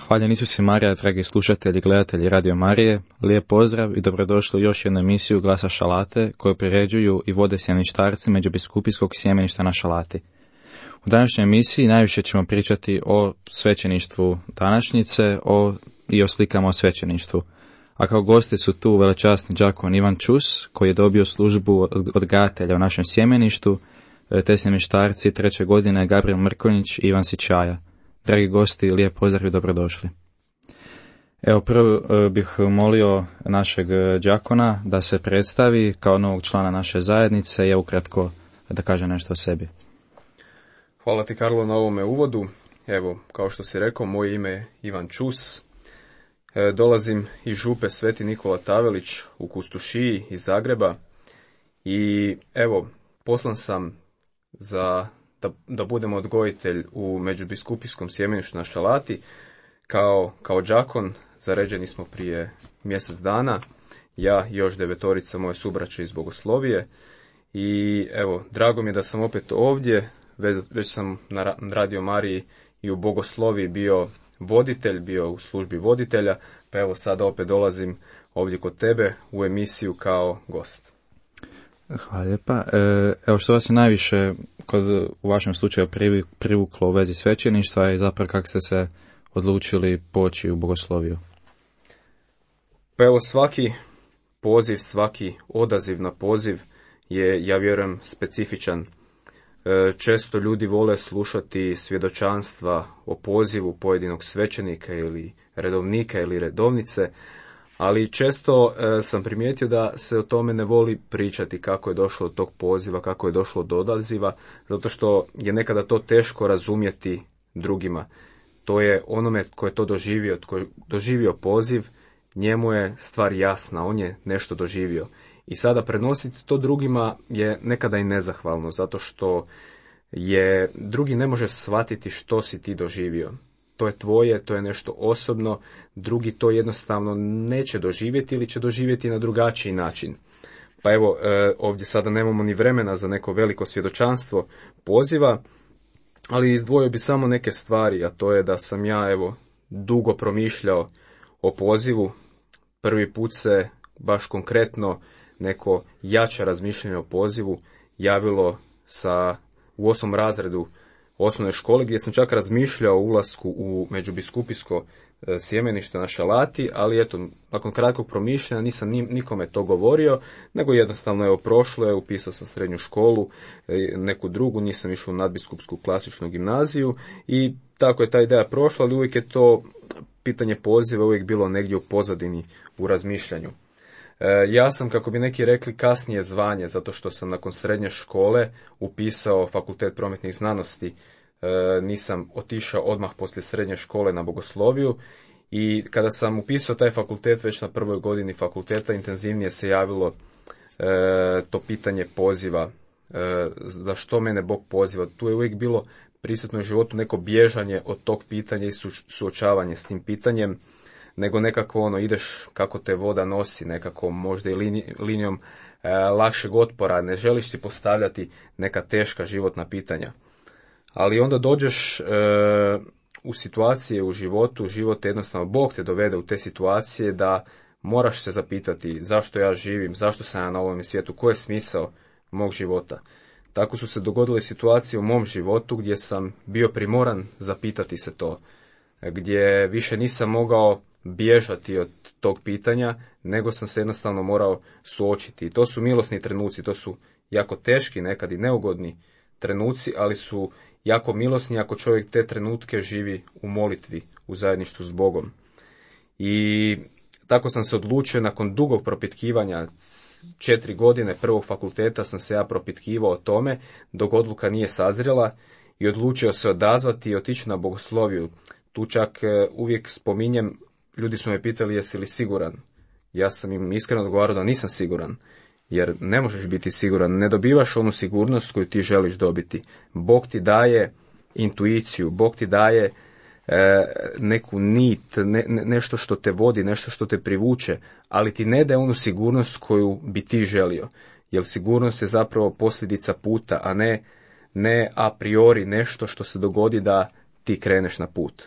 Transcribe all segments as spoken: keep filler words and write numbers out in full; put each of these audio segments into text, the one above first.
Hvaljen Isus i Marija, dragi slušatelji i gledatelji Radio Marije, lijep pozdrav i dobrodošli u još jednu emisiju Glasa Šalate koju priređuju i vode sjemeništarci Međubiskupijskog sjemeništa na Šalati. U današnjoj emisiji najviše ćemo pričati o svećeništvu današnjice o, i o slikama o svećeništvu. A kao gosti su tu velečasni đakon Ivan Čus, koji je dobio službu odgajatelja u našem sjemeništu, te sjemeništarci treće godine Gabriel Mrkonjić i Ivan Sičaja. Dragi gosti, lijep pozdrav i dobrodošli. Evo, prvo bih molio našeg đakona da se predstavi kao novog člana naše zajednice i ukratko da kaže nešto o sebi. Hvala ti, Karlo, na ovome uvodu. Evo, kao što si rekao, moje ime je Ivan Čus. E, dolazim iz župe Sveti Nikola Tavelić u Kustušiji iz Zagreba i evo, poslan sam za Da, da budem odgojitelj u Međubiskupijskom sjemeništu na Šalati. Kao, kao đakon zaređeni smo prije mjesec dana, ja i još devetorica moje subraće iz Bogoslovije. I evo, drago mi je da sam opet ovdje, već, već sam na Radio Mariji i u Bogosloviji bio voditelj, bio u službi voditelja, pa evo sada opet dolazim ovdje kod tebe u emisiju kao gost. Hvala lijepa. Evo, što vas je najviše kod, u vašem slučaju privuklo u vezi svećeništva i zapravo kako ste se odlučili poći u Bogosloviju? Pa evo, svaki poziv, svaki odaziv na poziv je, ja vjerujem, specifičan. Često ljudi vole slušati svjedočanstva o pozivu pojedinog svećenika ili redovnika ili redovnice, ali često e, sam primijetio da se o tome ne voli pričati kako je došlo do tog poziva, kako je došlo do odaziva, zato što je nekada to teško razumjeti drugima. To je onome tko je to doživio, tko je doživio poziv, njemu je stvar jasna, on je nešto doživio. I sada prenositi to drugima je nekada i nezahvalno, zato što je drugi ne može shvatiti što si ti doživio. To je tvoje, to je nešto osobno, drugi to jednostavno neće doživjeti ili će doživjeti na drugačiji način. Pa evo, ovdje sada nemamo ni vremena za neko veliko svjedočanstvo poziva, ali izdvojio bi samo neke stvari, a to je da sam ja evo dugo promišljao o pozivu. Prvi put se baš konkretno neko jače razmišljanje o pozivu javilo sa, u osmom razredu osnovne škole, gdje sam čak razmišljao o ulasku u međubiskupijsko sjemenište na Šalati, ali eto, nakon kratkog promišljanja nisam nikome to govorio, nego jednostavno evo prošlo je, upisao sam srednju školu, neku drugu, nisam išao u nadbiskupsku klasičnu gimnaziju i tako je ta ideja prošla, ali uvijek je to pitanje poziva uvijek bilo negdje u pozadini u razmišljanju. Ja sam, kako bi neki rekli, kasnije zvanje, zato što sam nakon srednje škole upisao Fakultet prometnih znanosti. Nisam otišao odmah poslije srednje škole na bogosloviju i kada sam upisao taj fakultet već na prvoj godini fakulteta intenzivnije se javilo to pitanje poziva. Za što mene Bog poziva? Tu je uvijek bilo prisutno u životu neko bježanje od tog pitanja i suočavanje s tim pitanjem, nego nekako ono ideš kako te voda nosi, nekako možda i linijom e, lakšeg otpora, ne želiš si postavljati neka teška životna pitanja. Ali onda dođeš e, u situacije u životu, život jednostavno, Bog te dovede u te situacije da moraš se zapitati zašto ja živim, zašto sam ja na ovom svijetu, koji je smisao mog života. Tako su se dogodile situacije u mom životu gdje sam bio primoran zapitati se to, gdje više nisam mogao bježati od tog pitanja, nego sam se jednostavno morao suočiti. I to su milosni trenuci, to su jako teški, nekad i neugodni trenuci, ali su jako milosni ako čovjek te trenutke živi u molitvi, u zajedništvu s Bogom. I tako sam se odlučio nakon dugog propitkivanja, četiri godine prvog fakulteta sam se ja propitkivao o tome, dok odluka nije sazrela i odlučio se odazvati i otići na bogosloviju. Tu čak uvijek spominjem, ljudi su me pitali jesi li siguran. Ja sam im iskreno odgovarao da nisam siguran, jer ne možeš biti siguran, ne dobivaš onu sigurnost koju ti želiš dobiti. Bog ti daje intuiciju, Bog ti daje e, neku nit, ne, ne, nešto što te vodi, nešto što te privuče, ali ti ne daje onu sigurnost koju bi ti želio, jer sigurnost je zapravo posljedica puta, a ne, ne a priori nešto što se dogodi da ti kreneš na put.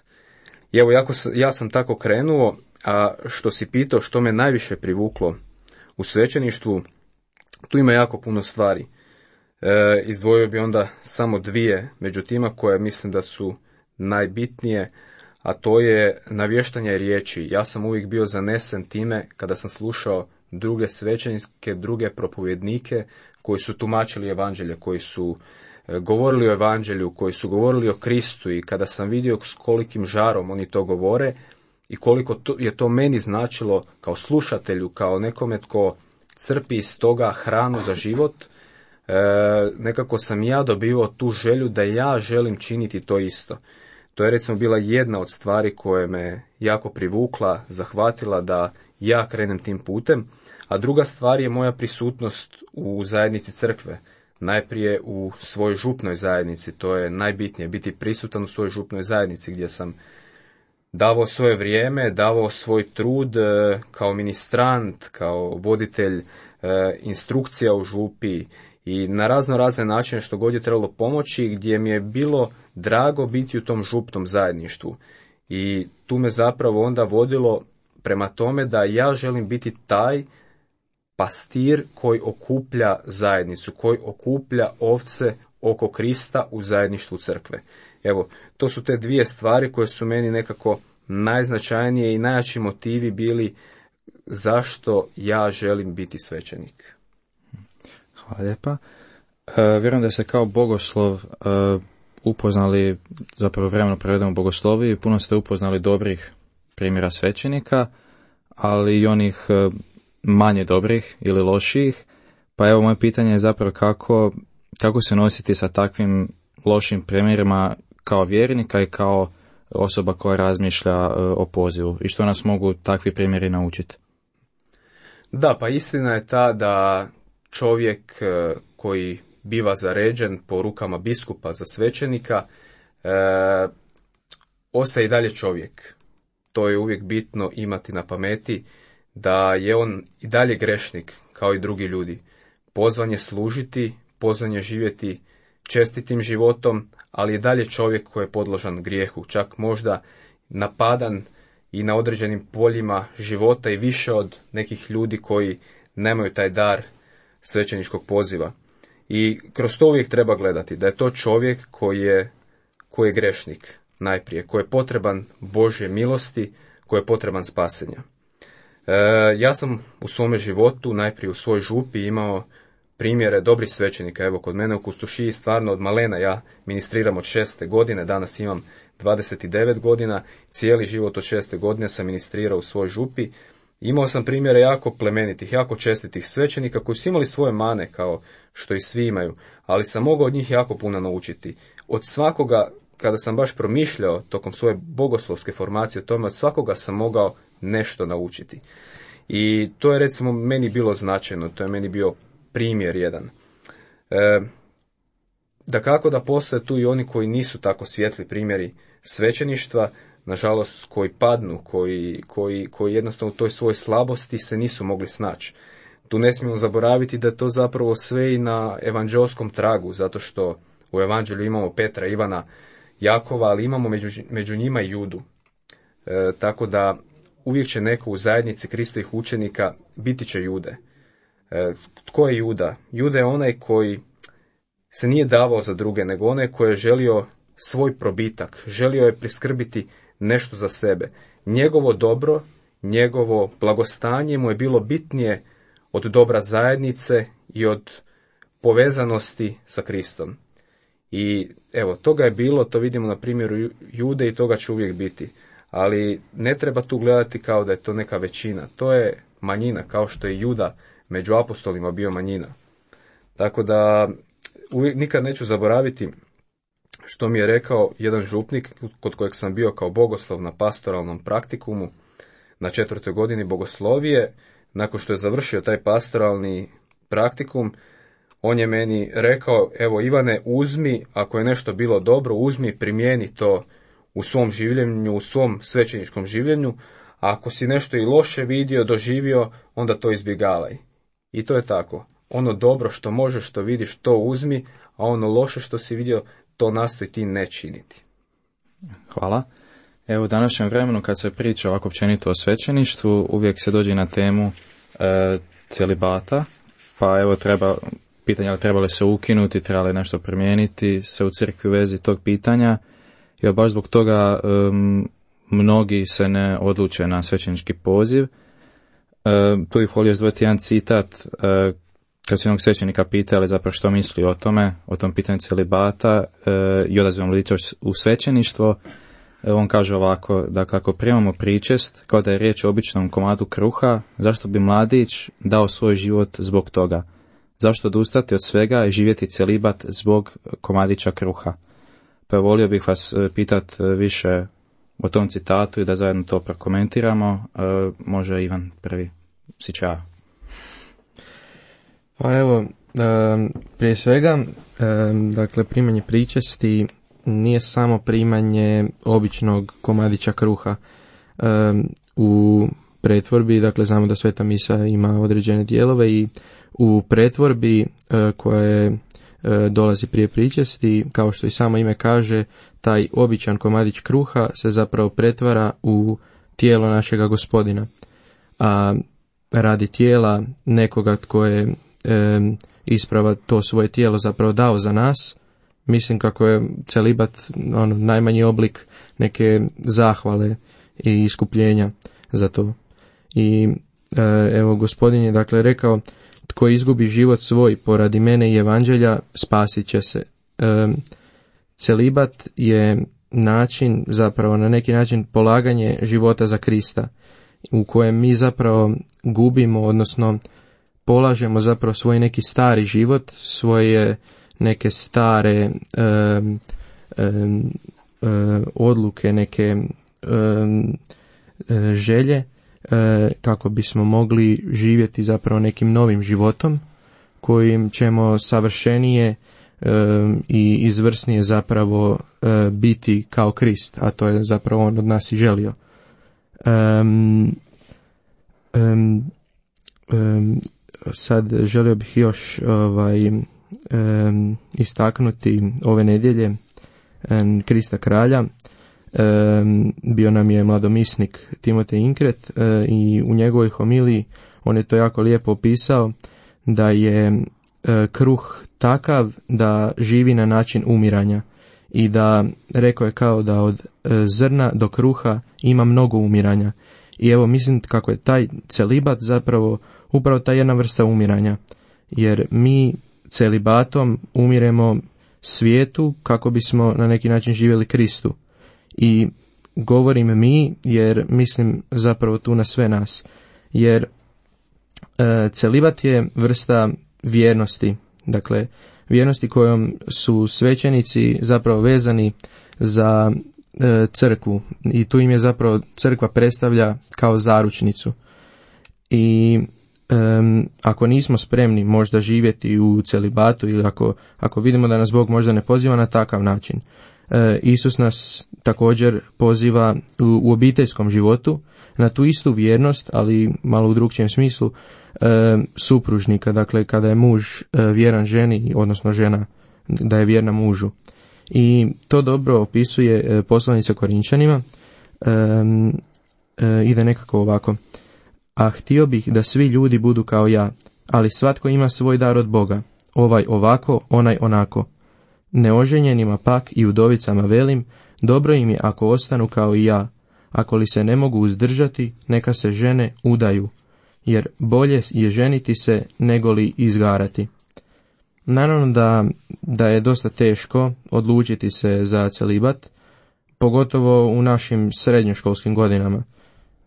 I evo, jako, ja sam tako krenuo, a što si pitao što me najviše privuklo u svećeništvu, tu ima jako puno stvari. E, izdvojio bi onda samo dvije među tima koje mislim da su najbitnije, a to je navještanje riječi. Ja sam uvijek bio zanesen time kada sam slušao druge svećenike, druge propovjednike koji su tumačili evanđelje, koji su govorili o evanđelju, koji su govorili o Kristu i kada sam vidio s kolikim žarom oni to govore i koliko to, je to meni značilo kao slušatelju, kao nekome tko crpi iz toga hranu za život, e, nekako sam ja dobivao tu želju da ja želim činiti to isto. To je recimo bila jedna od stvari koje me jako privukla, zahvatila da ja krenem tim putem, a druga stvar je moja prisutnost u zajednici crkve. Najprije u svojoj župnoj zajednici, to je najbitnije, biti prisutan u svojoj župnoj zajednici gdje sam davao svoje vrijeme, davao svoj trud kao ministrant, kao voditelj instrukcija u župi i na razno razne načine što god je trebalo pomoći, gdje mi je bilo drago biti u tom župnom zajedništvu. I tu me zapravo onda vodilo prema tome da ja želim biti taj pastir koji okuplja zajednicu, koji okuplja ovce oko Krista u zajedništvu crkve. Evo, to su te dvije stvari koje su meni nekako najznačajnije i najjači motivi bili zašto ja želim biti svećenik. Hvala lijepa. E, vjerujem da se kao bogoslov e, upoznali, zapravo vremeno provedemo u bogosloviji, puno ste upoznali dobrih primjera svećenika, ali i onih e, manje dobrih ili loših. Pa evo, moje pitanje je zapravo kako, kako se nositi sa takvim lošim primjerima kao vjernika i kao osoba koja razmišlja e, o pozivu i što nas mogu takvi primjeri naučiti? Da, pa istina je ta da čovjek e, koji biva zaređen po rukama biskupa za svećenika e, ostaje i dalje čovjek. To je uvijek bitno imati na pameti, da je on i dalje grešnik kao i drugi ljudi. Pozvan je služiti, pozvan je živjeti čestitim životom, ali je dalje čovjek koji je podložan grijehu, čak možda napadan i na određenim poljima života i više od nekih ljudi koji nemaju taj dar svećeničkog poziva. I kroz to uvijek treba gledati da je to čovjek koji je koji je grešnik najprije, koji je potreban Božje milosti, koji je potreban spasenja. E, ja sam u svome životu, najprije u svojoj župi, imao primjere dobrih svećenika. Evo, kod mene u Kustušiji stvarno od malena ja ministriram od šeste godine, danas imam dvadeset devet godina, cijeli život od šeste godine sam ministrirao u svojoj župi. Imao sam primjere jako plemenitih, jako čestitih svećenika koji su imali svoje mane kao što i svi imaju, ali sam mogao od njih jako puno naučiti. Od svakoga, kada sam baš promišljao tokom svoje bogoslovske formacije o tome, od svakoga sam mogao nešto naučiti. I to je recimo meni bilo značajno, to je meni bio primjer jedan. E, da kako da postoje tu i oni koji nisu tako svijetli primjeri svećeništva, nažalost koji padnu, koji, koji, koji jednostavno u toj svojoj slabosti se nisu mogli snaći. Tu ne smijemo zaboraviti da je to zapravo sve i na evanđelskom tragu, zato što u evanđelju imamo Petra, Ivana, Jakova, ali imamo među, među njima i Judu. E, tako da uvijek će neko u zajednici Kristovih učenika biti će Jude. E, tko je Juda? Juda je onaj koji se nije davao za druge, nego onaj koji je želio svoj probitak, želio je priskrbiti nešto za sebe. Njegovo dobro, njegovo blagostanje mu je bilo bitnije od dobra zajednice i od povezanosti sa Kristom. I evo, toga je bilo, to vidimo na primjeru Jude i toga će uvijek biti. Ali ne treba tu gledati kao da je to neka većina. To je manjina, kao što je Juda među apostolima bio manjina. Tako da uvijek, nikad neću zaboraviti što mi je rekao jedan župnik kod kojeg sam bio kao bogoslov na pastoralnom praktikumu na četvrtoj godini bogoslovije. Nakon što je završio taj pastoralni praktikum, on je meni rekao, evo Ivane, uzmi, ako je nešto bilo dobro, uzmi, primijeni to u svom življenju, u svom svećeničkom življenju, a ako si nešto i loše vidio, doživio, onda to izbjegavaj. I to je tako. Ono dobro što možeš, što vidiš, to uzmi, a ono loše što si vidio, to nastoj ti ne činiti. Hvala. Evo u današnjem vremenu kad se priča ovako općenito o svećeništvu, uvijek se dođe na temu e, celibata, pa evo treba pitanje ali treba li se ukinuti, treba li nešto promijeniti se u crkvi u vezi tog pitanja, jer baš zbog toga um, mnogi se ne odluče na svećenički poziv. Uh, tu bih volio izdvojiti jedan citat, uh, kad su jednog svećenika pitali zapravo što misli o tome, o tom pitanju celibata uh, i odazivom lica u svećeništvo, uh, on kaže ovako, da kako primamo pričest, kao da je riječ o običnom komadu kruha, zašto bi mladić dao svoj život zbog toga? Zašto odustati od svega i živjeti celibat zbog komadića kruha? Pa volio bih vas pitat više o tom citatu i da zajedno to prokomentiramo. E, može Ivan prvi, si čao. Pa evo, prije svega, dakle, primanje pričesti nije samo primanje običnog komadića kruha. U pretvorbi, dakle, znamo da Sveta misa ima određene dijelove i u pretvorbi koje dolazi prije pričesti, kao što i samo ime kaže, taj običan komadić kruha se zapravo pretvara u tijelo našega Gospodina. A radi tijela nekoga tko je e, isprava to svoje tijelo zapravo dao za nas, mislim kako je celibat ono, najmanji oblik neke zahvale i iskupljenja za to. I e, evo Gospodin je dakle rekao, tko izgubi život svoj poradi mene i evanđelja, spasit će se. E, celibat je način, zapravo na neki način polaganje života za Krista, u kojem mi zapravo gubimo, odnosno polažemo zapravo svoj neki stari život, svoje neke stare e, e, e, odluke, neke e, e, želje, kako bismo mogli živjeti zapravo nekim novim životom kojim ćemo savršenije e, i izvrsnije zapravo e, biti kao Krist, a to je zapravo on od nas i želio. Um, um, um, sad želio bih još ovaj, um, istaknuti ove nedjelje um, Krista kralja. Um, bio nam je mladomisnik Timotej Inkret uh, i u njegovoj homiliji on je to jako lijepo opisao, da je uh, kruh takav da živi na način umiranja i da rekao je kao da od e, zrna do kruha ima mnogo umiranja. I evo mislim kako je taj celibat zapravo upravo ta jedna vrsta umiranja, jer mi celibatom umiremo svijetu kako bismo na neki način živjeli Kristu. I govorim mi jer mislim zapravo tu na sve nas, jer e, celibat je vrsta vjernosti, dakle vjernosti kojom su svećenici zapravo vezani za e, crkvu i tu im je zapravo crkva predstavlja kao zaručnicu. I e, ako nismo spremni možda živjeti u celibatu ili ako, ako vidimo da nas Bog možda ne poziva na takav način, e, Isus nas također poziva u, u obiteljskom životu na tu istu vjernost, ali malo u drugčijem smislu, e, supružnika, dakle kada je muž e, vjeran ženi, odnosno žena da je vjerna mužu. I to dobro opisuje e, poslanica Korinčanima, e, e, ide nekako ovako: a htio bih da svi ljudi budu kao ja, ali svatko ima svoj dar od Boga, ovaj ovako, onaj onako. Neoženjenima pak i udovicama velim, dobro im je ako ostanu kao i ja, ako li se ne mogu uzdržati, neka se žene udaju, jer bolje je ženiti se nego li izgarati. Naravno da, da je dosta teško odlučiti se za celibat, pogotovo u našim srednjoškolskim godinama.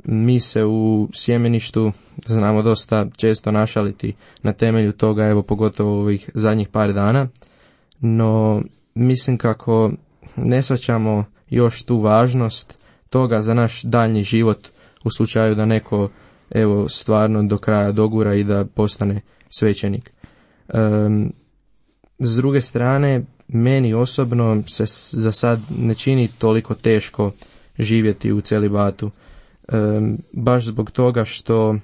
Mi se u sjemeništu znamo dosta često našaliti na temelju toga, evo pogotovo ovih zadnjih par dana, no mislim kako ne shvaćamo još tu važnost toga za naš daljnji život u slučaju da neko evo stvarno do kraja dogura i da postane svećenik. Um, s druge strane, meni osobno se za sad ne čini toliko teško živjeti u celibatu. Um, baš zbog toga što,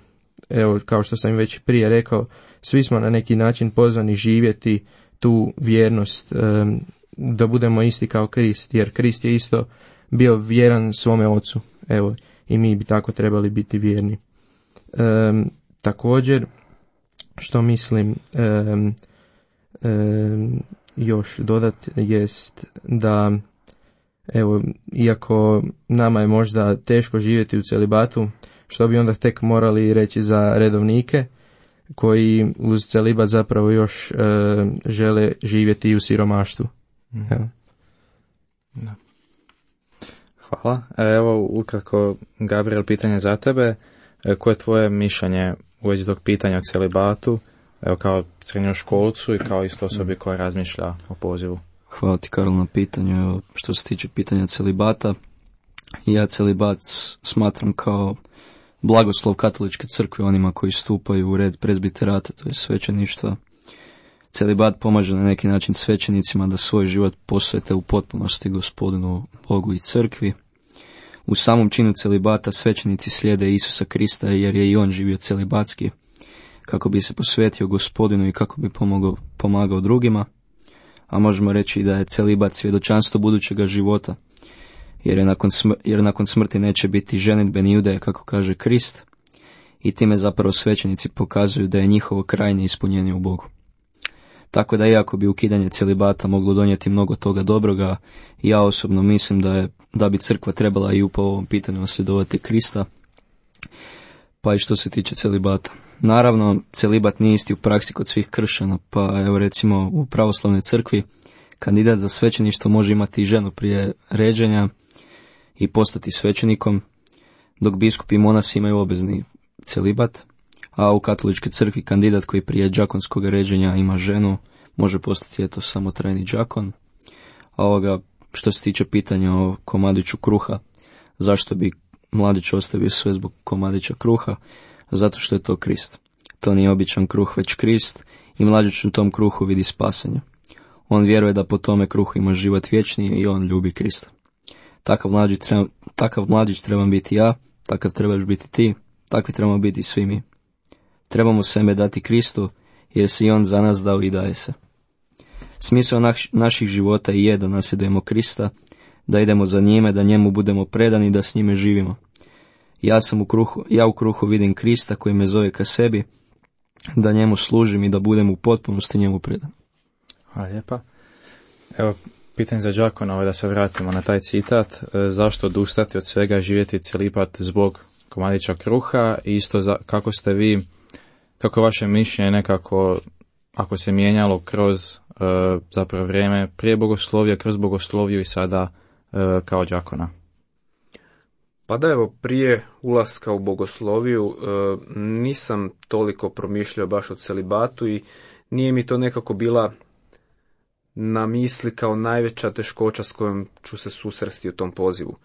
evo, kao što sam već prije rekao, svi smo na neki način pozvani živjeti tu vjernost, um, da budemo isti kao Krist, jer Krist je isto bio vjeran svome ocu, evo, i mi bi tako trebali biti vjerni. Um, također, što mislim um, um, još dodat jest da, evo, iako nama je možda teško živjeti u celibatu, što bi onda tek morali reći za redovnike koji uz celibat zapravo još uh, žele živjeti i u siromaštvu. Mm. Evo. Da. Hvala. Evo, ukratko, Gabriel, pitanje za tebe. Koje je tvoje mišljenje u vezi tog pitanja o celibatu, evo, kao srednjoškolcu i kao isto osobi koja razmišlja o pozivu? Hvala ti, Karol, na pitanju. Što se tiče pitanja celibata, ja celibat smatram kao blagoslov katoličke crkve onima koji stupaju u red prezbiterata, to je svećeništva. Celibat pomaže na neki način svećenicima da svoj život posvete u potpunosti Gospodinu Bogu i crkvi. U samom činu celibata svećenici slijede Isusa Krista jer je i on živio celibatski, kako bi se posvetio Gospodinu i kako bi pomogao, pomagao drugima. A možemo reći da je celibat svjedočanstvo budućega života, jer, je nakon, smr- jer nakon smrti neće biti ženidbe ni udaje, kako kaže Krist, i time zapravo svećenici pokazuju da je njihovo krajnje ispunjenje u Bogu. Tako da iako bi ukidanje celibata moglo donijeti mnogo toga dobroga, ja osobno mislim da je da bi crkva trebala i po ovom pitanju nasljedovati Krista, pa i što se tiče celibata. Naravno, celibat nije isti u praksi kod svih kršćana, pa evo recimo u pravoslavnoj crkvi kandidat za svećeništvo može imati i ženu prije ređenja i postati svećenikom, dok biskupi i monasi imaju obvezni celibat, a u katoličkoj crkvi kandidat koji prije đakonskog ređenja ima ženu može postati eto samo trajni đakon. A ovoga, što se tiče pitanja o komadiću kruha, zašto bi mladić ostavio sve zbog komadića kruha? Zato što je to Krist. To nije običan kruh, već Krist, i mladić u tom kruhu vidi spasenje. On vjeruje da po tome kruhu ima život vječni i on ljubi Krista. Takav mladić treba, takav mladić trebam biti ja, takav trebaš biti ti, takvi trebamo biti svi mi. Trebamo sebe dati Kristu, jer se i on za nas dao i daje se. Smisao naš, naših života i je da nasljedujemo Krista, da idemo za njime, da njemu budemo predani i da s njime živimo. Ja sam u kruhu, ja u kruhu vidim Krista koji me zove ka sebi, da njemu služim i da budem u potpunosti njemu predan. Hvala lijepa. Evo, Pitanje za đakona je da se vratimo na taj citat. E, zašto odustati od svega, živjeti celibat zbog komadića kruha i isto za, kako ste vi, kako je vaše mišljenje nekako, ako se mijenjalo kroz e, zapravo vrijeme prije bogoslovija, kroz bogosloviju i sada e, kao đakona? Pa da, evo, prije ulaska u bogosloviju e, nisam toliko promišljao baš o celibatu i nije mi to nekako bila na misli kao najveća teškoća s kojom ću se susresti u tom pozivu.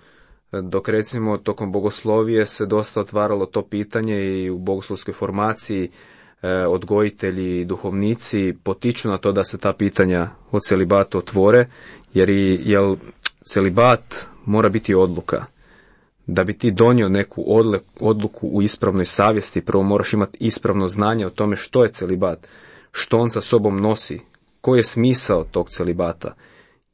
Dok recimo tokom bogoslovije se dosta otvaralo to pitanje i u bogoslovskoj formaciji e, odgojitelji i duhovnici potiču na to da se ta pitanja o celibatu otvore, jer i jel, celibat mora biti odluka. Da bi ti donio neku odle, odluku u ispravnoj savjesti, prvo moraš imati ispravno znanje o tome što je celibat, što on sa sobom nosi, koji je smisao tog celibata.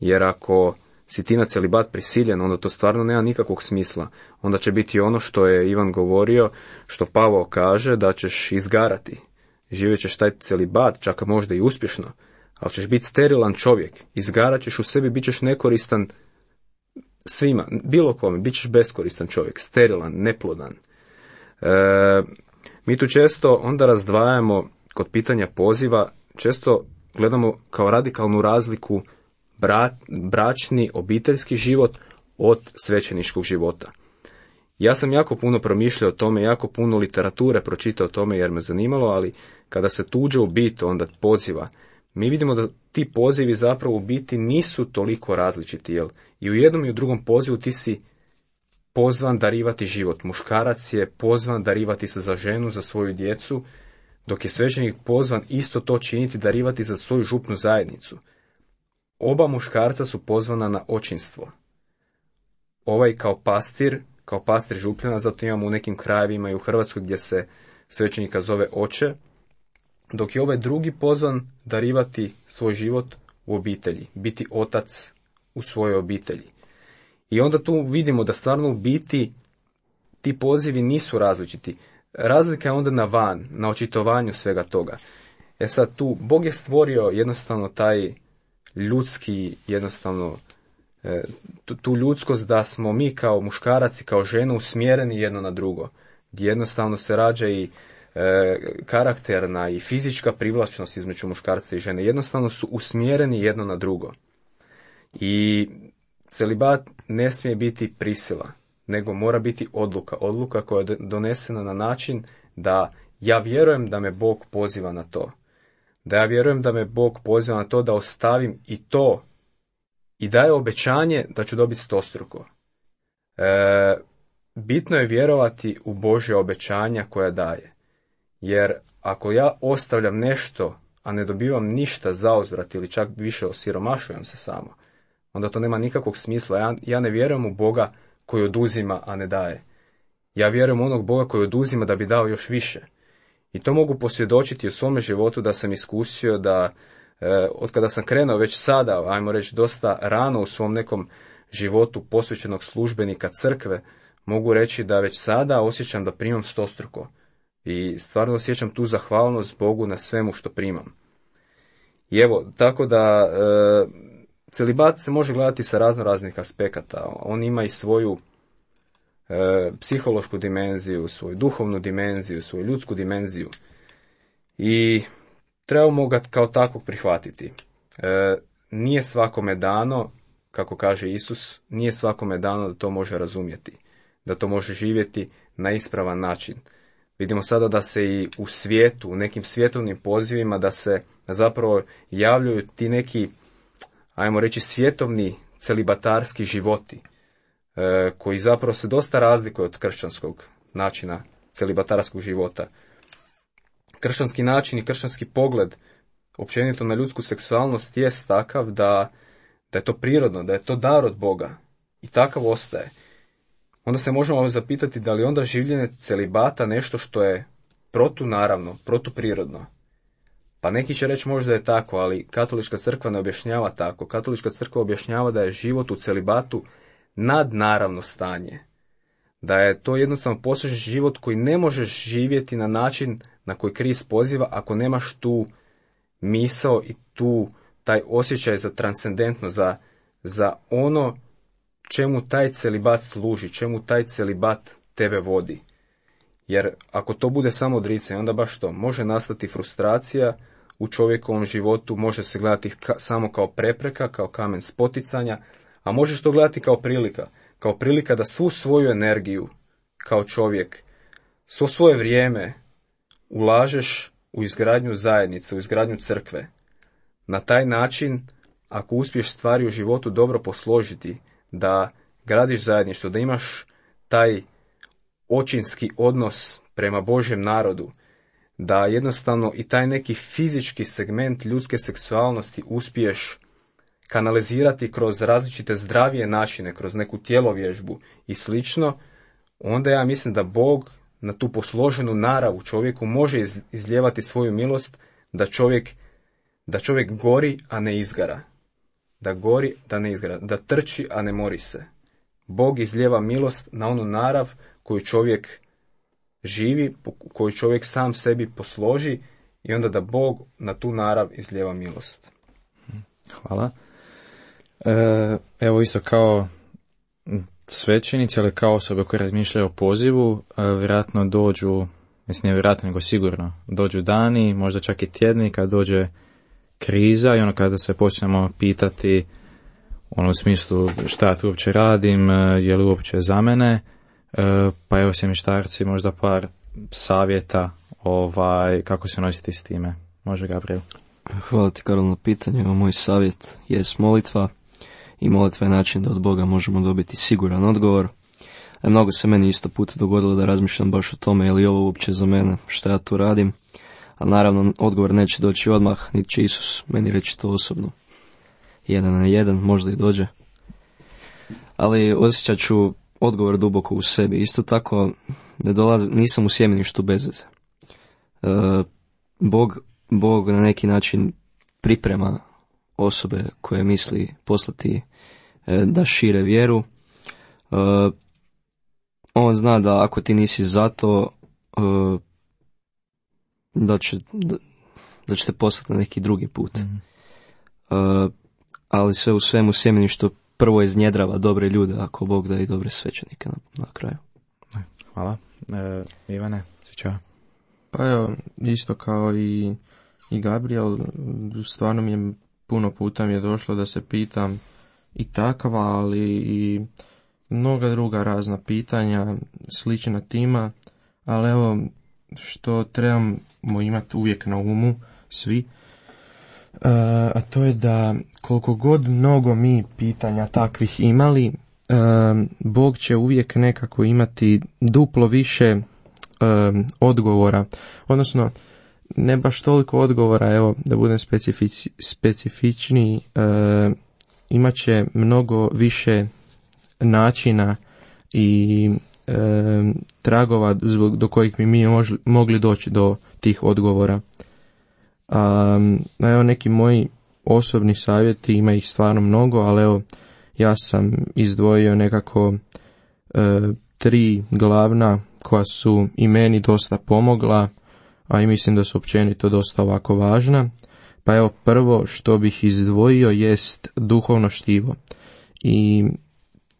Jer ako si ti na celibat prisiljen, onda to stvarno nema nikakvog smisla. Onda će biti ono što je Ivan govorio, što Pavao kaže, da ćeš izgarati. Živjet ćeš taj celibat, čak možda i uspješno, ali ćeš biti sterilan čovjek. Izgarat ćeš u sebi, bit ćeš nekoristan svima, bilo kome, bit ćeš beskoristan čovjek, sterilan, neplodan. E, mi tu često onda razdvajamo kod pitanja poziva, često gledamo kao radikalnu razliku bra, bračni, obiteljski život od svećeničkog života. Ja sam jako puno promišljao o tome, jako puno literature pročitao o tome jer me zanimalo, ali kada se tuđe u bit onda poziva, mi vidimo da ti pozivi zapravo u biti nisu toliko različiti, jel? I u jednom i u drugom pozivu ti si pozvan darivati život. Muškarac je pozvan darivati se za ženu, za svoju djecu, dok je svećenik pozvan isto to činiti, darivati za svoju župnu zajednicu. Oba muškarca su pozvana na očinstvo. Ovaj kao pastir, kao pastir župljana, zato imamo u nekim krajevima i u Hrvatskoj gdje se svećenika zove oče, dok je ovaj drugi pozvan darivati svoj život u obitelji, biti otac u svojoj obitelji. I onda tu vidimo da stvarno u biti ti pozivi nisu različiti. Razlika je onda na van, na očitovanju svega toga. E sad tu, Bog je stvorio jednostavno taj ljudski, jednostavno tu, tu ljudskost da smo mi kao muškarac i kao žena usmjereni jedno na drugo. Gdje jednostavno se rađa i e, karakterna i fizička privlačnost između muškarca i žene. Jednostavno su usmjereni jedno na drugo. I celibat ne smije biti prisila, nego mora biti odluka. Odluka koja je donesena na način da ja vjerujem da me Bog poziva na to. Da ja vjerujem da me Bog poziva na to da ostavim i to i daje obećanje da ću dobiti stostruko. E, bitno je vjerovati u Božja obećanja koja daje. Jer ako ja ostavljam nešto, a ne dobivam ništa zauzvrat ili čak više osiromašujem se samo, onda to nema nikakvog smisla. Ja, ja ne vjerujem u Boga koji oduzima, a ne daje. Ja vjerujem u onog Boga koji oduzima da bi dao još više. I to mogu posvjedočiti u svome životu da sam iskusio da e, od kada sam krenuo već sada, ajmo reći dosta rano u svom nekom životu posvećenog službenika crkve, mogu reći da već sada osjećam da primam stostruko. I stvarno osjećam tu zahvalnost Bogu na svemu što primam. I evo, tako da e, celibat se može gledati sa razno raznih aspekata. On ima i svoju e, psihološku dimenziju, svoju duhovnu dimenziju, svoju ljudsku dimenziju. I trebamo ga kao takvog prihvatiti. E, nije svakome dano, kako kaže Isus, nije svakome dano da to može razumjeti, da to može živjeti na ispravan način. Vidimo sada da se i u svijetu, u nekim svjetovnim pozivima, da se zapravo javljaju ti neki, ajmo reći, svjetovni celibatarski životi, e, koji zapravo se dosta razlikuju od kršćanskog načina celibatarskog života. Kršćanski način i kršćanski pogled općenito na ljudsku seksualnost jest takav da, da je to prirodno, da je to dar od Boga i takav ostaje. Onda se možemo zapitati da li onda življenje celibata nešto što je protunaravno, protuprirodno. Pa neki će reći možda je tako, ali katolička crkva ne objašnjava tako. Katolička crkva objašnjava da je život u celibatu nadnaravno stanje. Da je to jednostavno posvećen život koji ne možeš živjeti na način na koji Krist poziva ako nemaš tu misao i tu taj osjećaj za transcendentno, za, za ono čemu taj celibat služi, čemu taj celibat tebe vodi. Jer ako to bude samo odricanje, onda baš to, može nastati frustracija u čovjekovom životu, može se gledati ka, samo kao prepreka, kao kamen spoticanja, a možeš to gledati kao prilika, kao prilika da svu svoju energiju kao čovjek, svo svoje vrijeme ulažeš u izgradnju zajednice, u izgradnju crkve. Na taj način, ako uspiješ stvari u životu dobro posložiti, da gradiš zajedništvo, da imaš taj očinski odnos prema Božjem narodu, da jednostavno i taj neki fizički segment ljudske seksualnosti uspiješ kanalizirati kroz različite zdravije načine, kroz neku tjelovježbu i slično, onda ja mislim da Bog na tu posloženu narav čovjeku može izlijevati svoju milost, da čovjek, da čovjek gori, a ne izgara. Da gori, da ne izgara. Da trči, a ne mori se. Bog izlijeva milost na onu narav koju čovjek živi, koju čovjek sam sebi posloži, i onda da Bog na tu narav izlijeva milost. Hvala. E, evo isto kao svećenici, ali kao osobe koje razmišljaju o pozivu, e, vjerojatno dođu, mislim ne vjerojatno nego sigurno, dođu dani, možda čak i tjedni kad dođe kriza i ono kada se počnemo pitati ono u smislu šta ja tu uopće radim, je li uopće za mene, e, pa evo sjemeništarci možda par savjeta ovaj, kako se nositi s time. Može Gabriel? Hvala ti Karol na pitanju. Moj savjet je molitva i molitva je način da od Boga možemo dobiti siguran odgovor. E, mnogo se meni isto puta dogodilo da razmišljam baš o tome je li ovo uopće za mene, šta ja tu radim. A naravno odgovor neće doći odmah, niti će Isus meni reći to osobno. Jedan na jedan, možda i dođe. Ali osjećat ću odgovor duboko u sebi. Isto tako ne dolazi, nisam u sjemeništu bez veze. E, Bog, Bog na neki način priprema osobe koje misli poslati e, da šire vjeru. E, on zna da ako ti nisi za to, e, da će, da, da će te poslati na neki drugi put. Mm-hmm. E, ali sve u svemu sjemeništvo prvo iznjedrava dobre ljude, ako Bog da i dobre svećenike na, na kraju. Hvala. E, Ivane, sjeća? Pa evo, isto kao i, i Gabriel, stvarno mi je puno puta mi je došlo da se pitam i takva, ali i mnoga druga razna pitanja, slična tima, ali evo, što trebamo imati uvijek na umu, svi, Uh, a to je da koliko god mnogo mi pitanja takvih imali, uh, Bog će uvijek nekako imati duplo više uh, odgovora, odnosno ne baš toliko odgovora, evo da budem specifici, specifičniji, uh, imat će mnogo više načina i uh, tragova zbog, do kojih bi mi možli, mogli doći do tih odgovora. Um, evo neki moji osobni savjeti, ima ih stvarno mnogo, ali evo ja sam izdvojio nekako e, tri glavna koja su i meni dosta pomogla, a i mislim da su općenito dosta ovako važna. Pa evo prvo što bih izdvojio jest duhovno štivo. I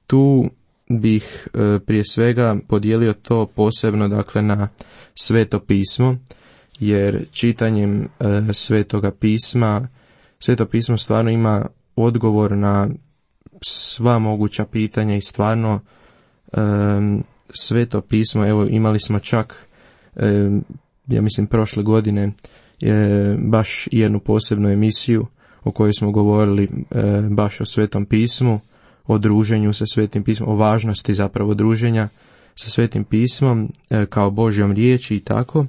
tu bih e, prije svega podijelio to posebno dakle na Sveto pismo, jer čitanjem e, Svetoga pisma, Sveto pismo stvarno ima odgovor na sva moguća pitanja i stvarno e, Sveto pismo, evo imali smo čak, e, ja mislim prošle godine, je baš jednu posebnu emisiju o kojoj smo govorili e, baš o Svetom pismu, o druženju sa Svetim pismom, o važnosti zapravo druženja sa Svetim pismom e, kao Božjom riječi i tako.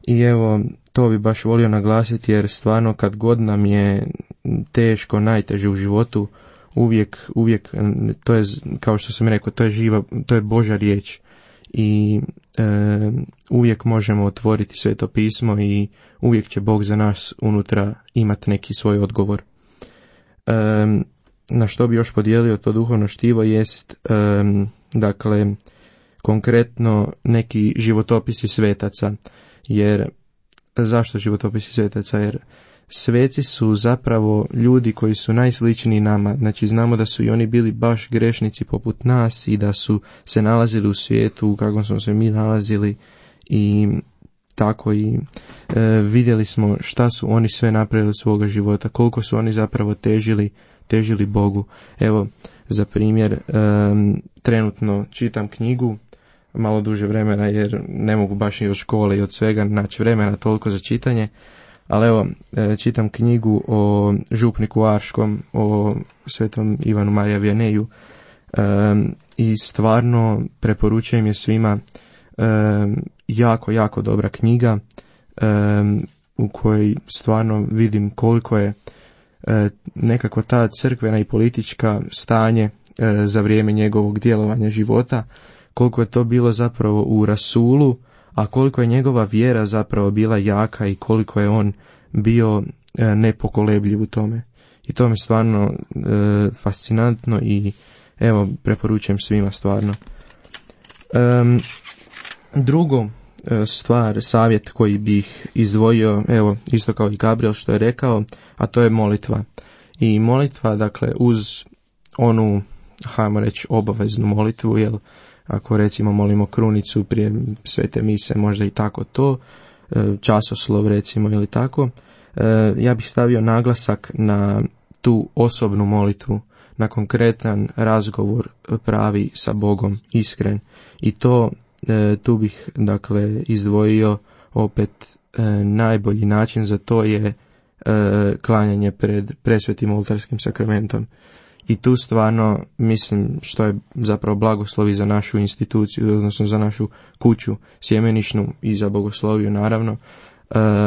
I evo, to bi baš volio naglasiti jer stvarno kad god nam je teško, najteže u životu, uvijek, uvijek, to je, kao što sam rekao, to je živa, to je Božja riječ. I e, uvijek možemo otvoriti Sveto pismo i uvijek će Bog za nas unutra imati neki svoj odgovor. E, na što bi još podijelio to duhovno štivo jest, e, dakle, konkretno neki životopisi svetaca. Jer, zašto životopisi svetaca? Jer sveci su zapravo ljudi koji su najsličniji nama, znači znamo da su i oni bili baš grešnici poput nas i da su se nalazili u svijetu kako smo se mi nalazili i tako i e, vidjeli smo šta su oni sve napravili od svoga života, koliko su oni zapravo težili, težili Bogu. Evo, za primjer, e, trenutno čitam knjigu, malo duže vremena jer ne mogu baš i od škole i od svega naći vremena toliko za čitanje, ali evo, e, čitam knjigu o župniku Arškom, o svetom Ivanu Marija Vianeju e, i stvarno preporučujem je svima. E, jako, jako dobra knjiga e, u kojoj stvarno vidim koliko je e, nekako ta crkvena i politička stanje e, za vrijeme njegovog djelovanja života, koliko je to bilo zapravo u rasulu, a koliko je njegova vjera zapravo bila jaka i koliko je on bio e, nepokolebljiv u tome. I to mi je stvarno e, fascinantno i evo, preporučujem svima stvarno. E, drugo e, stvar, savjet koji bih izdvojio, evo, isto kao i Gabriel što je rekao, a to je molitva. I molitva, dakle, uz onu, hajmo reći, obaveznu molitvu, jel, ako recimo molimo krunicu prije svete mise, možda i tako to, časoslov recimo ili tako, ja bih stavio naglasak na tu osobnu molitvu, na konkretan razgovor pravi sa Bogom, iskren. I to, tu bih dakle izdvojio opet najbolji način za to je klanjanje pred presvetim oltarskim sakramentom. I tu stvarno mislim što je zapravo blagoslovi za našu instituciju, odnosno za našu kuću sjemenišnu i za bogosloviju naravno,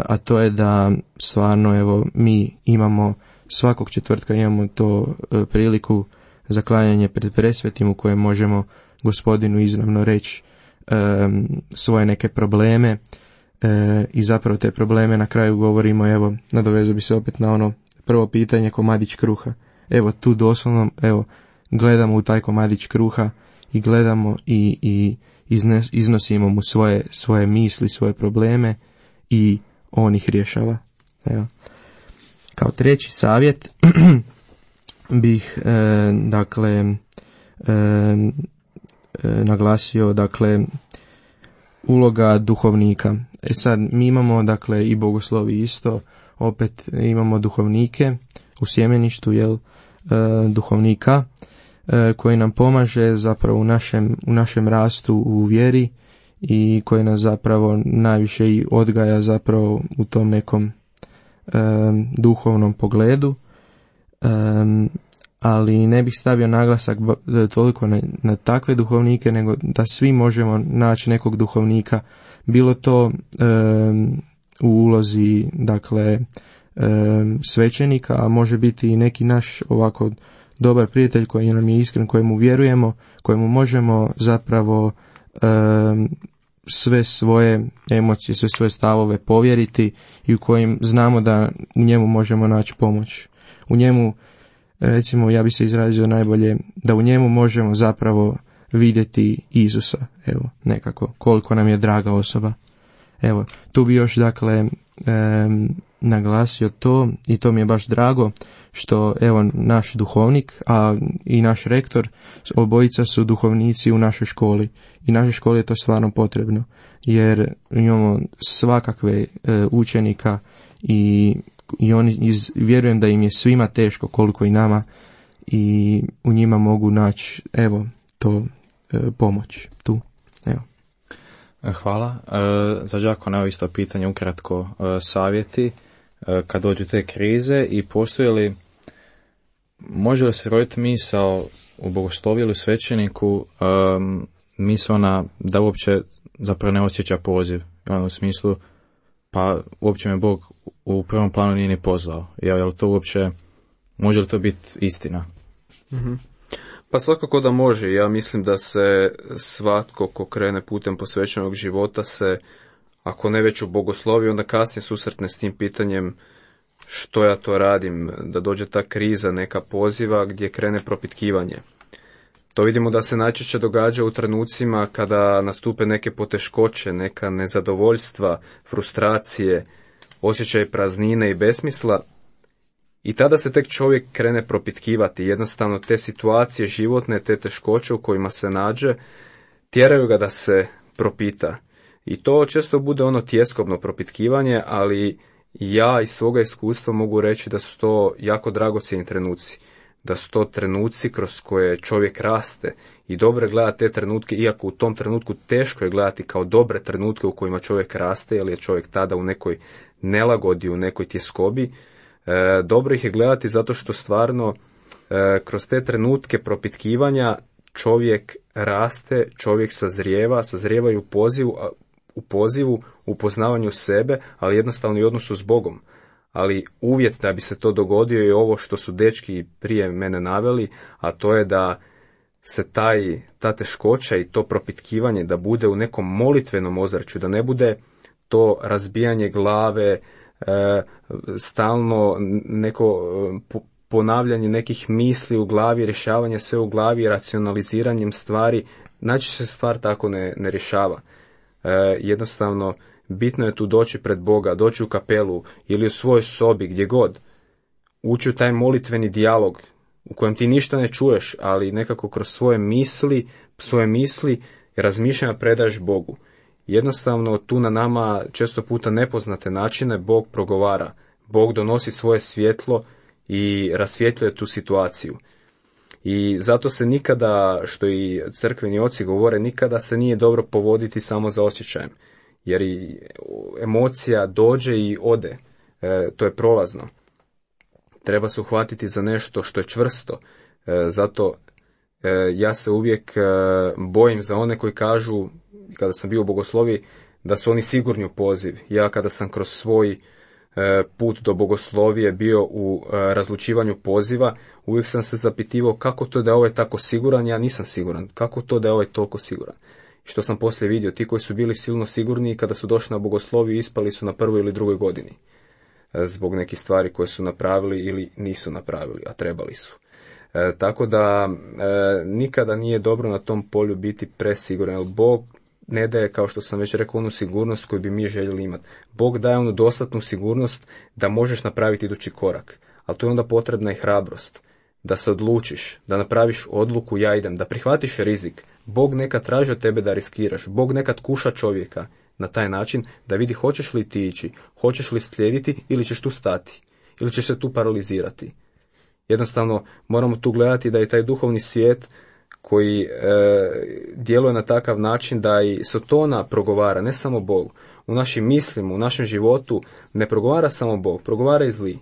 a to je da stvarno evo mi imamo svakog četvrtka imamo to priliku za klanjanje pred presvetim u kojem možemo Gospodinu izravno reći svoje neke probleme i zapravo te probleme na kraju govorimo, evo nadovezu bi se opet na ono prvo pitanje, komadić kruha. Evo tu doslovno, evo, gledamo u taj komadić kruha i gledamo i, i iznes, iznosimo mu svoje, svoje misli, svoje probleme i on ih rješava. Evo. Kao treći savjet bih, e, dakle, e, e, naglasio, dakle, uloga duhovnika. E sad, mi imamo, dakle, i bogoslovi isto, opet imamo duhovnike u sjemeništu, jel, duhovnika koji nam pomaže zapravo u našem, u našem rastu u vjeri i koji nas zapravo najviše i odgaja zapravo u tom nekom um, duhovnom pogledu, um, ali ne bih stavio naglasak toliko na, na takve duhovnike, nego da svi možemo naći nekog duhovnika, bilo to um, u ulozi, dakle, svećenika, a može biti i neki naš ovako dobar prijatelj koji nam je iskren, kojemu vjerujemo, kojemu možemo zapravo um, sve svoje emocije, sve svoje stavove povjeriti i u kojim znamo da u njemu možemo naći pomoć. U njemu, recimo, ja bi se izrazio najbolje, da u njemu možemo zapravo vidjeti Isusa, evo, nekako, koliko nam je draga osoba. Evo, tu bi još, dakle, um, naglasio to i to mi je baš drago što evo naš duhovnik, a i naš rektor, obojica su duhovnici u našoj školi i našoj školi je to stvarno potrebno jer imamo svakakve e, učenika i, i oni iz, vjerujem da im je svima teško koliko i nama i u njima mogu naći evo to e, pomoć tu. Evo. Hvala. E, za Đakona evo isto pitanje ukratko, e, savjeti kad dođu te krize i postoji li, može li se roditi misao u bogosloviju ili u svećeniku, um, misao na da uopće zapravo ne osjeća poziv, u smislu pa uopće me Bog u prvom planu nije ni pozvao, je li to uopće, može li to biti istina? Mm-hmm. Pa svakako da može, ja mislim da se svatko ko krene putem posvećenog života se, ako ne već u bogosloviju, onda kasnije susretne s tim pitanjem što ja to radim, da dođe ta kriza, neka poziva gdje krene propitkivanje. To vidimo da se najčešće događa u trenucima kada nastupe neke poteškoće, neka nezadovoljstva, frustracije, osjećaj praznine i besmisla. I tada se tek čovjek krene propitkivati. Jednostavno te situacije životne, te teškoće u kojima se nađe, tjeraju ga da se propita. I to često bude ono tjeskobno propitkivanje, ali ja iz svoga iskustva mogu reći da su to jako dragocjeni trenuci. Da su to trenuci kroz koje čovjek raste i dobro gleda te trenutke, iako u tom trenutku teško je gledati kao dobre trenutke u kojima čovjek raste, jer je čovjek tada u nekoj nelagodi, u nekoj tjeskobi. E, dobro ih je gledati zato što stvarno e, kroz te trenutke propitkivanja čovjek raste, čovjek sazrijeva, sazrijevaju u pozivu, u pozivu, u poznavanju sebe, ali jednostavno i odnosu s Bogom. Ali uvjet da bi se to dogodio je ovo što su dečki prije mene naveli, a to je da se taj, ta teškoća i to propitkivanje da bude u nekom molitvenom ozračju, da ne bude to razbijanje glave, e, stalno neko e, ponavljanje nekih misli u glavi, rješavanje sve u glavi, racionaliziranjem stvari. Najčešće se stvar tako ne, ne rješava. E, jednostavno, bitno je tu doći pred Boga, doći u kapelu ili u svojoj sobi, gdje god. Ući u taj molitveni dijalog u kojem ti ništa ne čuješ, ali nekako kroz svoje misli, svoje misli i razmišljanja predaš Bogu. Jednostavno, tu na nama često puta nepoznate načine Bog progovara. Bog donosi svoje svjetlo i rasvjetljuje tu situaciju. I zato se nikada, što i crkveni oci govore, nikada se nije dobro povoditi samo za osjećajem. Jer i emocija dođe i ode. E, to je prolazno. Treba se uhvatiti za nešto što je čvrsto. E, zato e, ja se uvijek e, bojim za one koji kažu, kada sam bio u bogosloviji, da su oni sigurni u poziv. Ja kada sam kroz svoj e, put do bogoslovije bio u e, razlučivanju poziva, uvijek sam se zapitivao kako to da je ovaj tako siguran, ja nisam siguran. Kako to da je ovaj toliko siguran. Što sam poslije vidio, ti koji su bili silno sigurni kada su došli na bogosloviju ispali su na prvoj ili drugoj godini. Zbog nekih stvari koje su napravili ili nisu napravili, a trebali su. E, tako da e, nikada nije dobro na tom polju biti presiguran, jer Bog ne daje, kao što sam već rekao, onu sigurnost koju bi mi željeli imati. Bog daje onu dostatnu sigurnost da možeš napraviti idući korak, ali tu je onda potrebna i hrabrost. Da se odlučiš, da napraviš odluku, ja idem, da prihvatiš rizik. Bog nekad traži od tebe da riskiraš. Bog nekad kuša čovjeka na taj način da vidi hoćeš li ti ići, hoćeš li slijediti ili ćeš tu stati, ili ćeš se tu paralizirati. Jednostavno moramo tu gledati da je taj duhovni svijet koji e, djeluje na takav način da i Sotona progovara, ne samo Bog. U našim mislima, u našem životu ne progovara samo Bog, progovara i zli,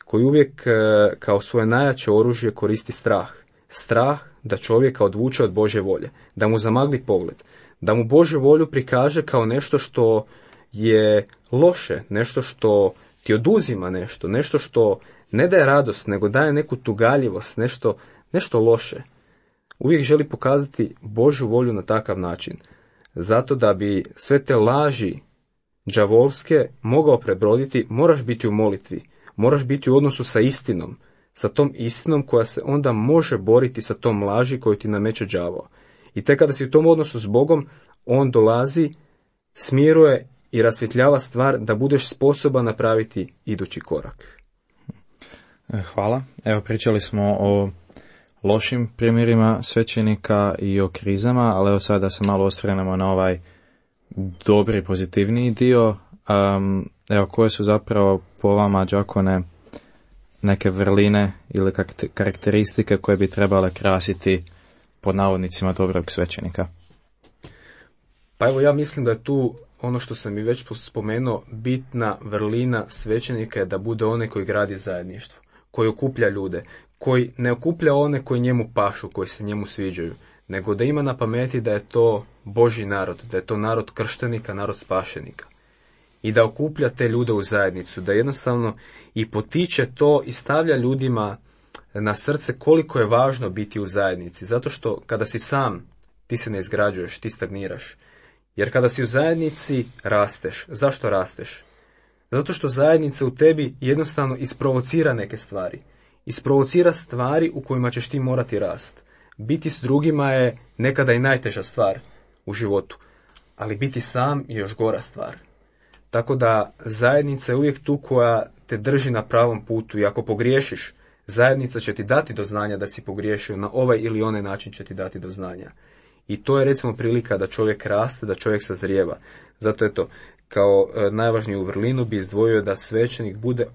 koji uvijek e, kao svoje najjače oružje koristi strah. Strah da čovjeka odvuče od Božje volje, da mu zamagli pogled, da mu Božju volju prikaže kao nešto što je loše, nešto što ti oduzima nešto, nešto što ne daje radost, nego daje neku tugaljivost, nešto, nešto loše. Uvijek želi pokazati Božju volju na takav način, zato da bi sve te laži đavolske mogao prebroditi, moraš biti u molitvi, moraš biti u odnosu sa istinom, sa tom istinom koja se onda može boriti sa tom laži koju ti nameće đavao. I tek kada si u tom odnosu s Bogom, on dolazi, smiruje i rasvjetljava stvar da budeš sposoban napraviti idući korak. Hvala. Evo, pričali smo o lošim primjerima svećenika i o krizama, ali evo sad da se malo osvrnemo na ovaj dobri, pozitivniji dio. Um, evo, koje su zapravo po vama, đakone, neke vrline ili karakteristike koje bi trebale krasiti pod navodnicima dobrog svećenika? Pa evo, ja mislim da je tu ono što sam i već spomenuo, bitna vrlina svećenika je da bude onaj koji gradi zajedništvo, koji okuplja ljude, koji ne okuplja one koji njemu pašu, koji se njemu sviđaju, nego da ima na pameti da je to Božji narod, da je to narod krštenika, narod spašenika. I da okuplja te ljude u zajednicu, da jednostavno i potiče to i stavlja ljudima na srce koliko je važno biti u zajednici. Zato što kada si sam, ti se ne izgrađuješ, ti stagniraš. Jer kada si u zajednici, rasteš. Zašto rasteš? Zato što zajednica u tebi jednostavno isprovocira neke stvari. Isprovocira stvari u kojima ćeš ti morati rast. Biti s drugima je nekada i najteža stvar u životu, ali biti sam je još gora stvar. Tako da zajednica je uvijek tu koja te drži na pravom putu i ako pogriješiš, zajednica će ti dati do znanja da si pogriješio, na ovaj ili onaj način će ti dati do znanja. I to je recimo prilika da čovjek raste, da čovjek sazrijeva. Zato je to, kao e, najvažniju vrlinu bi izdvojio da svećenik bude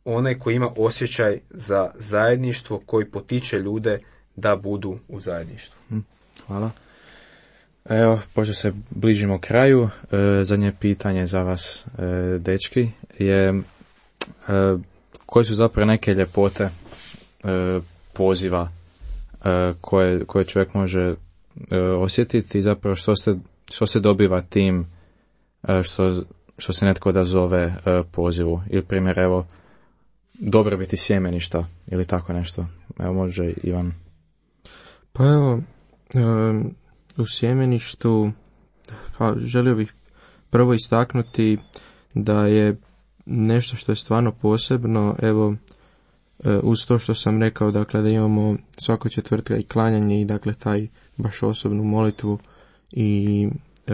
onaj koji ima osjećaj za zajedništvo, koji potiče ljude da budu u zajedništvu. Hvala. Evo, pošto se bližimo kraju, e, zadnje pitanje za vas, e, dečki, je e, koje su zapravo neke ljepote e, poziva e, koje, koje čovjek može e, osjetiti i zapravo što se, što se dobiva tim e, što, što se netko da zove e, pozivu. Ili primjer, evo, dobrobiti sjemeništa ili tako nešto. Evo, može Ivan. Pa evo, e, u sjemeništu pa želio bih prvo istaknuti da je nešto što je stvarno posebno, evo, uz to što sam rekao, dakle, da imamo svako četvrtka i klanjanje i dakle taj baš osobnu molitvu i e,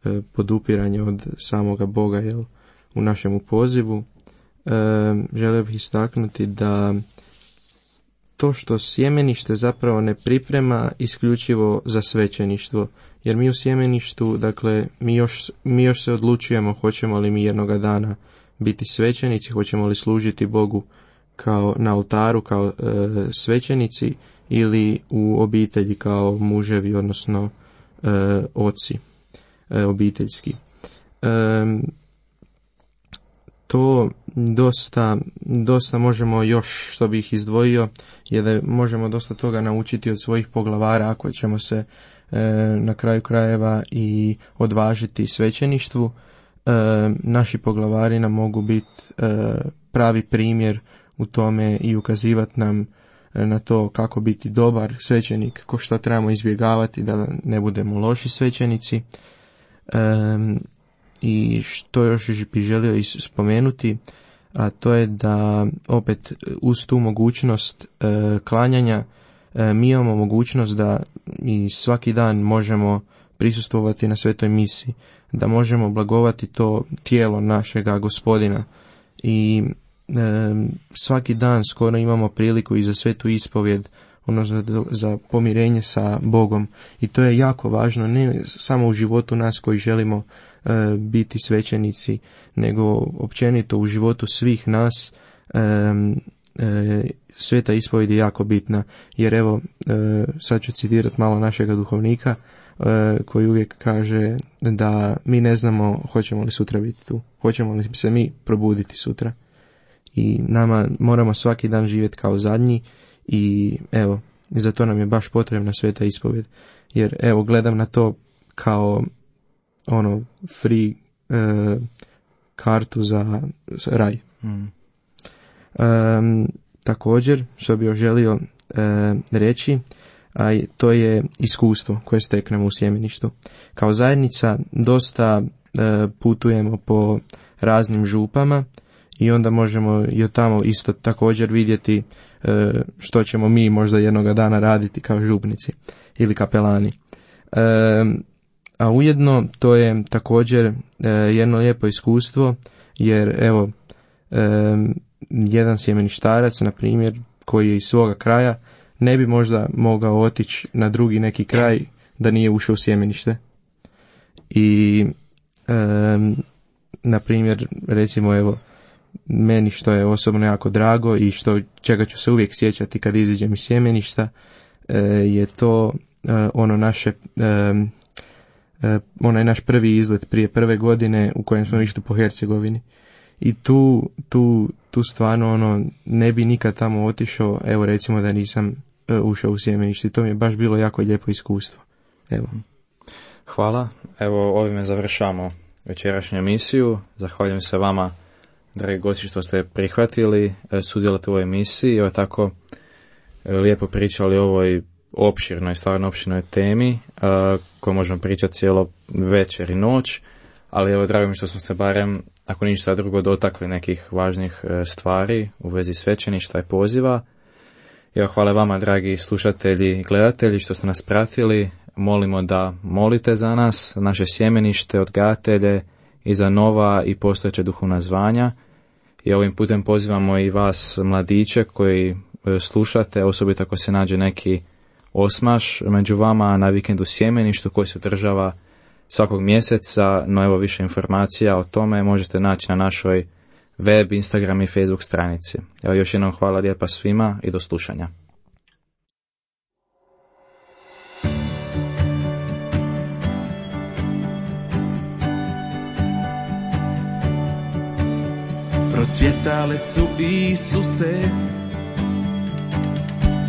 e, podupiranje od samoga Boga, jel, u našemu pozivu, e, želio bih istaknuti da to što sjemenište zapravo ne priprema isključivo za svećeništvo, jer mi u sjemeništu, dakle, mi još, mi još se odlučujemo hoćemo li mi jednoga dana biti svećenici, hoćemo li služiti Bogu kao na oltaru, kao e, svećenici ili u obitelji kao muževi, odnosno e, oci e, obiteljski. E, to dosta, dosta možemo još, što bih izdvojio, je da možemo dosta toga naučiti od svojih poglavara ako ćemo se e, na kraju krajeva i odvažiti svećeništvu. E, naši poglavari nam mogu biti e, pravi primjer u tome i ukazivati nam na to kako biti dobar svećenik, ko što trebamo izbjegavati da ne budemo loši svećenici. E, I što još bi želio spomenuti, a to je da opet uz tu mogućnost e, klanjanja e, mi imamo mogućnost da i svaki dan možemo prisustvovati na svetoj misi, da možemo blagovati to tijelo našega Gospodina i e, svaki dan skoro imamo priliku i za svetu ispovjed, ono za, za pomirenje sa Bogom, i to je jako važno, ne samo u životu nas koji želimo e, biti svećenici, nego općenito u životu svih nas. e, e, sveta ispovjed je jako bitna, jer evo, e, sad ću citirati malo našega duhovnika e, koji uvijek kaže da mi ne znamo hoćemo li sutra biti tu, hoćemo li se mi probuditi sutra, i nama moramo svaki dan živjeti kao zadnji. I evo, za to nam je baš potrebna sveta ispovjed, jer evo, gledam na to kao ono free e, kartu za raj. Mm. E, također, što bih još želio e, reći, a to je iskustvo koje steknemo u sjemeništu. Kao zajednica dosta e, putujemo po raznim župama i onda možemo i od tamo isto također vidjeti e, što ćemo mi možda jednoga dana raditi kao župnici ili kapelani. E, a ujedno to je također e, jedno lijepo iskustvo, jer evo, e, jedan sjemeništarac, na primjer, koji je iz svoga kraja, ne bi možda mogao otići na drugi neki kraj da nije ušao u sjemenište. I e, na primjer, recimo, evo, meni što je osobno jako drago i što čega ću se uvijek sjećati kad iziđem iz sjemeništa, e, je to e, ono naše e, e, onaj naš prvi izlet prije prve godine u kojem smo išli po Hercegovini. I tu, tu, tu stvarno ono, ne bi nikad tamo otišao, evo, recimo, da nisam e, ušao u sjemenište. To mi je baš bilo jako lijepo iskustvo. Evo. Hvala. Evo, ovime završamo večerašnju emisiju. Zahvaljujem se vama, dragi gosti, što ste prihvatili sudjelovati u ovoj emisiji i ovo tako lijepo pričali o ovoj opširnoj, stvarno opširnoj temi koju možemo pričati cijelo večer i noć, ali evo, drago mi što smo se barem, ako ništa drugo, dotakli nekih važnih stvari u vezi svećeništva i poziva. Evo, hvala vama, dragi slušatelji i gledatelji, što ste nas pratili. Molimo da molite za nas, naše sjemenište, odgajatelje i za nova i postojeća duhovna zvanja. I ovim putem pozivamo i vas, mladiće, koji slušate, osobito ako se nađe neki osmaš među vama na vikendu sjemeništu koji se održava svakog mjeseca. No evo, više informacija o tome možete naći na našoj web, Instagram i Facebook stranici. Evo, još jednom hvala lijepa svima i do slušanja. Procvjetale su, Isuse,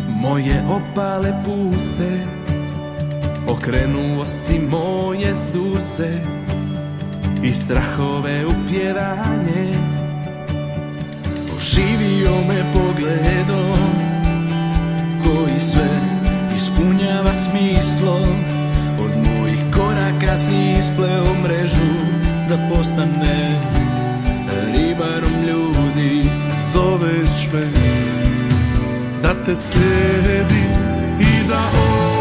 moje opale puste, okrenuo si moje suse i strahove u pjevanje. Oživio me pogledom koji sve ispunjava smislom. Od mojih koraka si ispleo mrežu da postane ribarom ljudi. Zoveš me da te slijedim i da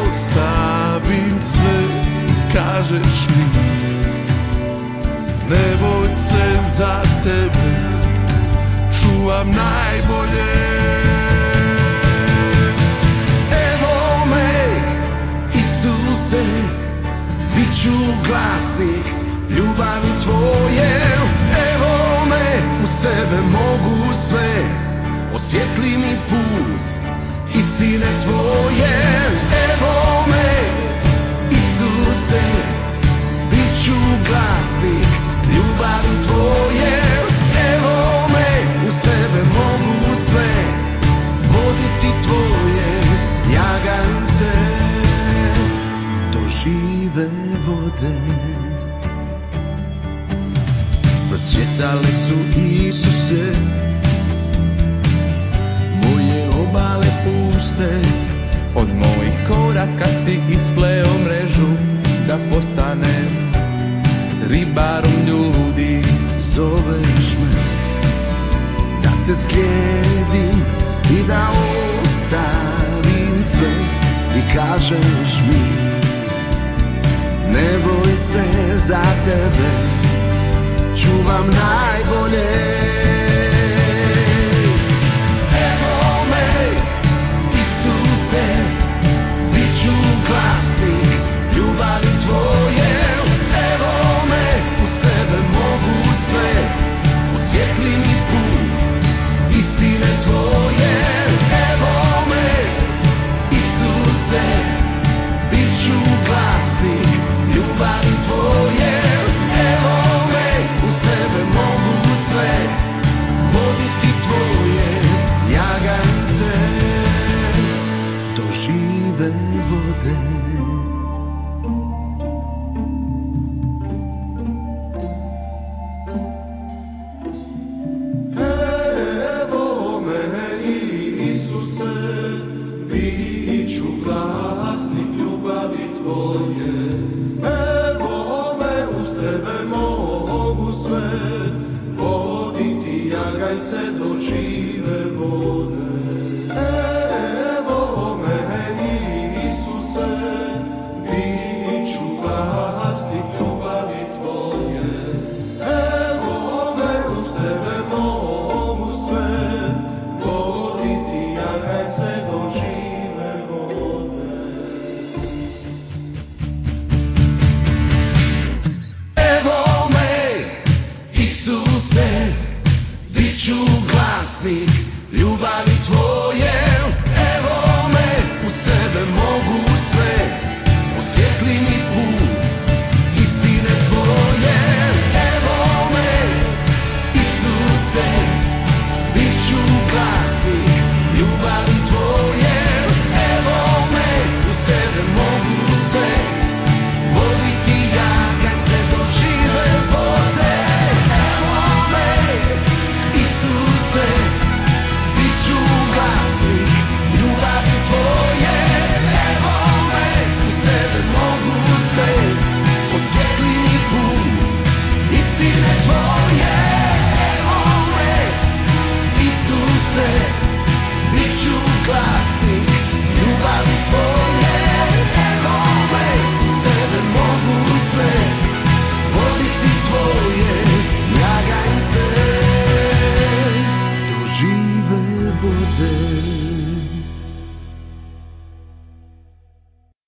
ostavim sve. Kažeš mi ne boj se, za tebe čuvam najbolje. Evo me, Isuse, bit ću glasnik ljubavi tvoje. Evo me, uz tebe mogu sve, osvijetli mi put istine tvoje. Evo me, Isuse, bit ću glasnik ljubavi tvoje. Evo me, uz tebe mogu sve, voditi tvoje jagance do žive vode. Procvjetale su, Isuse, moje obale puste. Od mojih koraka si ispleo mrežu da postanem ribarom ljudi. Zoveš me da te slijedim i da ostavim sve. I kažeš mi ne boj se, za tebe čuvam najbolje. Evo me, Isuse, bit ću glasnik ljubavi tvoje. Evo me, uz tebe mogu sve, osvijetli mi put istine tvoje. Evo me, Isuse, bit ću glasnik ljubavi tvoje. Evo me, uz tebe mogu sve, voditi tvoje jagance do žive vode. Evo me, Isuse, bit ću glasnik ljubavi tvoje. Evo me, uz tebe mogu sve, voditi jagance do žive vode. Evo me, Isuse, bit ću glasnik ljubavi